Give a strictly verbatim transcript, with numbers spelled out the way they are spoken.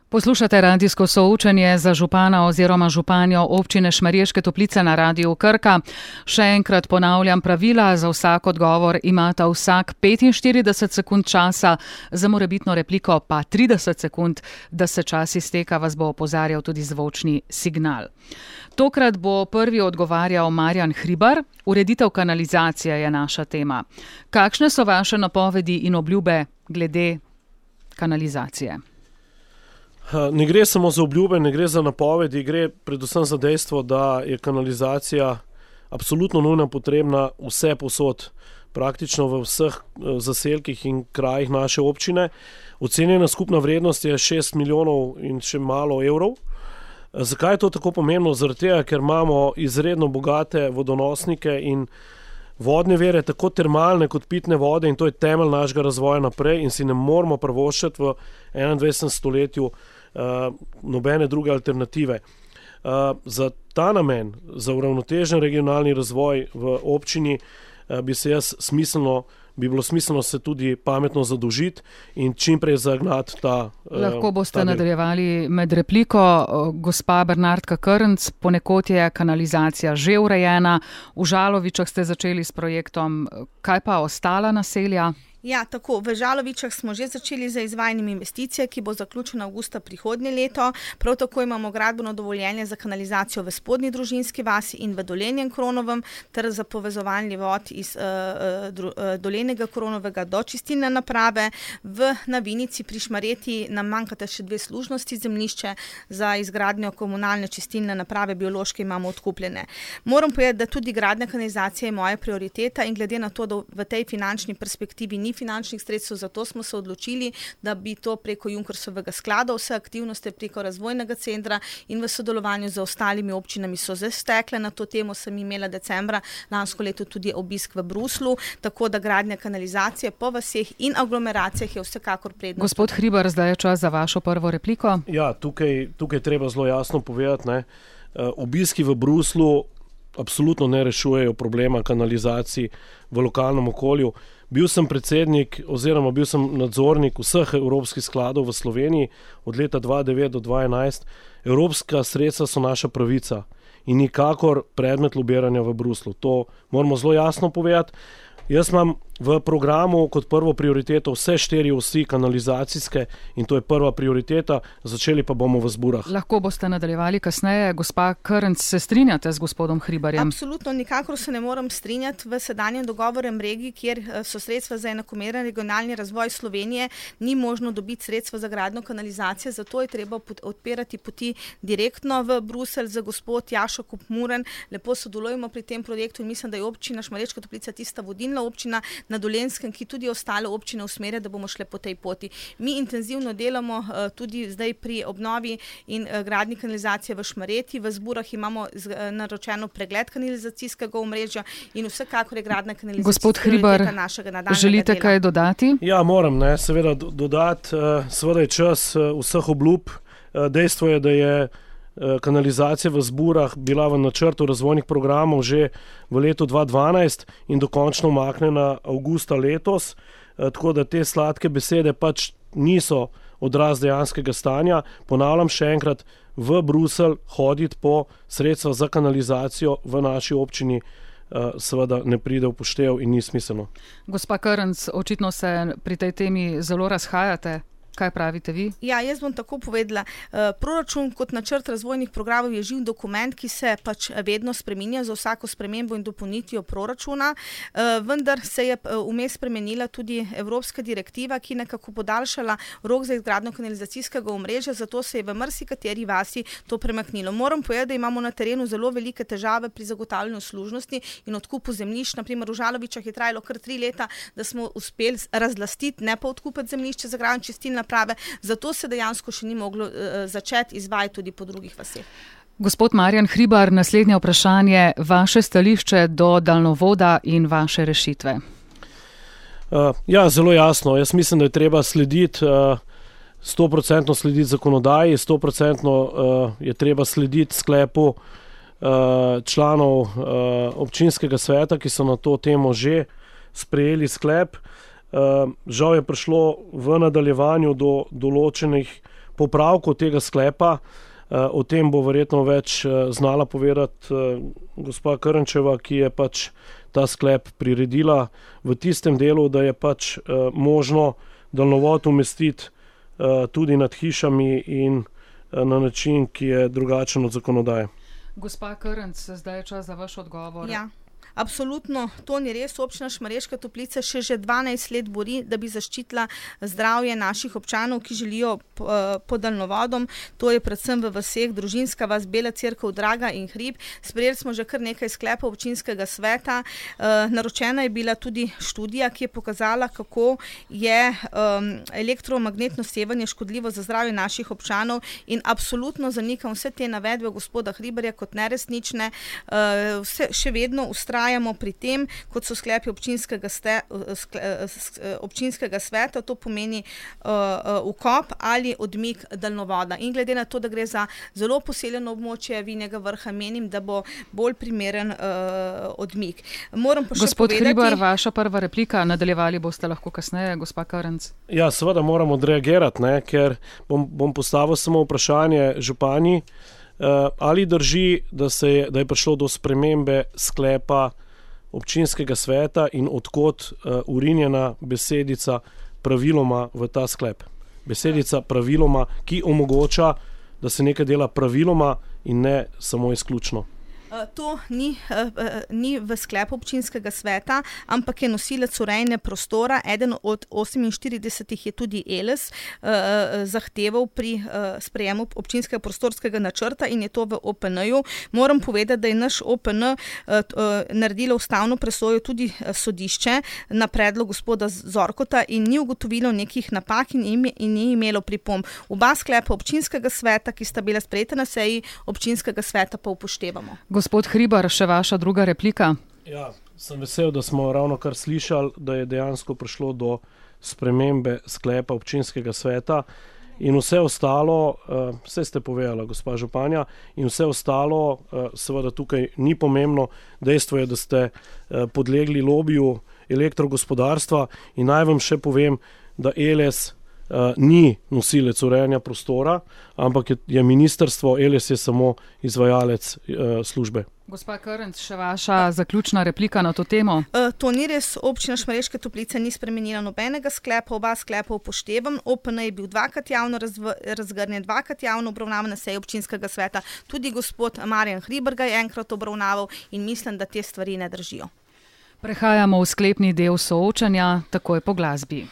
Poslušate radijsko soočenje za župana oziroma županjo občine Šmarješke Toplice na Radiu Krka. Še enkrat ponavljam pravila, za vsak odgovor imata vsak petinštirideset sekund časa, za morebitno repliko pa trideset sekund, da se čas izteka, vas bo opozarjal tudi zvočni signal. Tokrat bo prvi odgovarjal Marjan Hribar. Ureditev kanalizacije je naša tema. Kakšne so vaše napovedi in obljube glede kanalizacije? Ne gre samo za obljube, ne gre za napovedi, gre predvsem za dejstvo, da je kanalizacija absolutno nujno potrebna vse povsod, praktično v vseh zaselkih in krajih naše občine. Ocenjena skupna vrednost je šest milijonov in še malo evrov. Zakaj je to tako pomembno? Zaradi tega, ker imamo izredno bogate vodonosnike in vodne vere, tako termalne kot pitne vode, in to je temelj našega razvoja naprej in si ne moramo privoščiti v enaindvajsetem stoletju uh, nobene druge alternative. Uh, za ta namen, za uravnotežen regionalni razvoj v občini uh, bi se jaz smiselno bi bilo smiselno se tudi pametno zadolžiti in čimprej zagnati ta uh, Lahko boste nadaljevali med repliko. Gospa Bernardka Krnc, ponekod je kanalizacija že urejena, v Žalovičah ste začeli s projektom, kaj pa ostala naselja? Ja, tako. V Žalovičah smo že začeli za izvajanjem investicije, ki bo zaključena avgusta prihodnje leto. Prav tako imamo gradbeno dovoljenje za kanalizacijo v Spodnji Družinski vasi in v Dolenjem Kronovem ter za povezovanje vod iz uh, uh, Dolenjega Kronovega do čistilne naprave. V Navinici pri Šmarjeti nam manjkata še dve služnosti zemljišče, za izgradnjo komunalne čistilne naprave biološke imamo odkupljene. Moram povedati, da tudi gradnja kanalizacije je moja prioriteta in glede na to, da v tej finančni perspektivi ni finančnih sredstev, zato smo se odločili, da bi to preko Junkersovega sklada, vse aktivnosti preko razvojnega centra in v sodelovanju z ostalimi občinami so že stekle. Na to temo sem imela decembra lansko leto tudi obisk v Bruslu, tako da gradnja kanalizacije po vaseh in aglomeracijah je vsekakor prednost. Gospod Hribar, zdaj je čas za vašo prvo repliko. Ja, tukaj, tukaj treba zelo jasno povedati, ne, obiski v Bruslu absolutno ne rešujejo problema kanalizacij v lokalnem okolju. Bil sem predsednik oziroma bil sem nadzornik vseh evropskih skladov v Sloveniji od leta dva tisoč devet do dva tisoč enajst. Evropska sredstva so naša pravica in nikakor predmet lobiranja v Bruslu. To moramo zelo jasno povedati. Jaz imam v programu kot prvo prioriteto vse štiri osi kanalizacijske in to je prva prioriteta, začeli pa bomo v Zburah. Lahko boste nadaljevali kasneje. Gospa Krnc, se strinjate z gospodom Hribarjem? Absolutno, nikakor se ne moram strinjati. V sedanjem dogovorem regiji, kjer so sredstva za enakomeren regionalni razvoj Slovenije, ni možno dobiti sredstva za gradnjo kanalizacije, zato je treba odpirati poti direktno v Bruselj. Za gospod Jašo Kopmuren lepo sodelujemo pri tem projektu in mislim, da je občina Šmarješka Toplica tista vodilna občina na Dolenjskem, ki tudi ostale občine usmerja, da bomo šle po tej poti. Mi intenzivno delamo uh, tudi zdaj pri obnovi in uh, gradnji kanalizacije v Šmarjeti. V Zburah imamo z, uh, naročeno pregled kanalizacijskega omrežja in vsekakor je gradnja kanalizacijskega prioriteta našega nadaljnjega dela. Želite kaj dodati? Ja, moram, ne, seveda dodati. Uh, seveda je čas uh, vseh obljub. Uh, dejstvo je, da je kanalizacija v Zburah bila v načrtu razvojnih programov že v letu dva tisoč dvanajst in dokončno umaknjena avgusta letos, tako da te sladke besede pač niso odraz dejanskega stanja. Ponavljam še enkrat, v Bruselj hoditi po sredstva za kanalizacijo v naši občini seveda ne pride v poštev in ni smiselno. Gospa Krnc, očitno se pri tej temi zelo razhajate. Kaj pravite vi? Ja, jaz bom tako povedala. Proračun kot načrt razvojnih programov je živ dokument, ki se pač vedno spreminja za vsako spremembo in dopolnitvijo proračuna, vendar se je vmes spremenila tudi evropska direktiva, ki nekako podaljšala rok za izgradnjo kanalizacijskega omrežja, zato se je v marsikateri vasi to premaknilo. Moram povedati, da imamo na terenu zelo velike težave pri zagotavljanju služnosti in odkupu zemljišč. Na primer, v Žalovičah je trajalo kar tri leta, da smo uspeli razlastiti, ne pa odkupiti zemljišče za gradnjo čistilne naprave, zato se dejansko še ni moglo uh, začeti izvajati tudi po drugih vaseh. Gospod Marjan Hribar, naslednje vprašanje, vaše stališče do daljnovoda in vaše rešitve. Uh, ja, zelo jasno. Jaz mislim, da je treba slediti, sto procentno uh, slediti zakonodaji, sto procentno uh, je treba slediti sklepu uh, članov uh, občinskega sveta, ki so na to temo že sprejeli sklep. Uh, žal je prišlo v nadaljevanju do določenih popravku tega sklepa. O tem bo verjetno več znala povedati gospa Krnčeva, ki je pač ta sklep priredila v tistem delu, da je pač možno daljnovod umestiti tudi nad hišami in na način, ki je drugačen od zakonodaje. Gospa Krnc, zdaj je čas za vaš odgovor. Ja. Absolutno, to ni res. Občina Šmarješka Toplica še že dvanajst let bori, da bi zaščitila zdravje naših občanov, ki želijo pod daljnovodom. To je predvsem v vaseh Družinska vas, Bela Cerkev, Draga in Hrib. Sprejeli smo že kar nekaj sklepov občinskega sveta. Naročena je bila tudi študija, ki je pokazala, kako je elektromagnetno sevanje škodljivo za zdravje naših občanov, in absolutno zanikam vse te navedbe gospoda Hribarja kot neresnične. Vse, še vedno ustrajamo pri tem, kot so sklepi občinskega, ste, občinskega sveta, to pomeni uh, ukop ali odmik daljnovoda. In glede na to, da gre za zelo poseljeno območje Vinjega Vrha, menim, da bo bolj primeren uh, odmik. Moram pa še Gospod povedati... Hribar, vaša prva replika, nadaljevali boste lahko kasneje, gospa Krnc. Ja, seveda moram odreagirati, ne, ker bom, bom postavil samo vprašanje županji. Uh, ali drži, da, se je, da je prišlo do spremembe sklepa občinskega sveta in odkot uh, urinjena besedica praviloma v ta sklep? Besedica praviloma, ki omogoča, da se nekaj dela praviloma in ne samo izključno. To ni, ni v sklepu občinskega sveta, ampak je nosilec urejanja prostora. Eden od oseminštiridesetih je tudi Eles zahteval pri sprejemu občinskega prostorskega načrta in je to v O P N-ju. Moram povedati, da je naš O P N naredilo ustavno presojo tudi sodišče na predlog gospoda Zorkota in ni ugotovilo nekih napak in ni imelo pripomb. Oba sklepa občinskega sveta, ki sta bila sprejeta na seji občinskega sveta, pa upoštevamo. Gospod Hribar, še vaša druga replika. Ja, sem vesel, da smo ravno kar slišali, da je dejansko prišlo do spremembe sklepa občinskega sveta in vse ostalo, vse ste povedala, gospa županja, in vse ostalo, seveda tukaj ni pomembno. Dejstvo je, da ste podlegli lobiju elektrogospodarstva in naj vam še povem, da Eles Uh, ni nosilec urejanja prostora, ampak je, je ministrstvo, Eles je samo izvajalec uh, službe. Gospa Krnc, še vaša zaključna replika na to temo? Uh, to ni res. Občina Šmarješke Toplice ni spremenila nobenega sklepa, oba sklepa upoštevam. O P N je bil dvakrat javno razv- razgrnjen, dvakrat javno obravnavan na seji občinskega sveta. Tudi gospod Marjan Hribar ga je enkrat obravnaval in mislim, da te stvari ne držijo. Prehajamo v sklepni del soočanja, takoj po glasbi.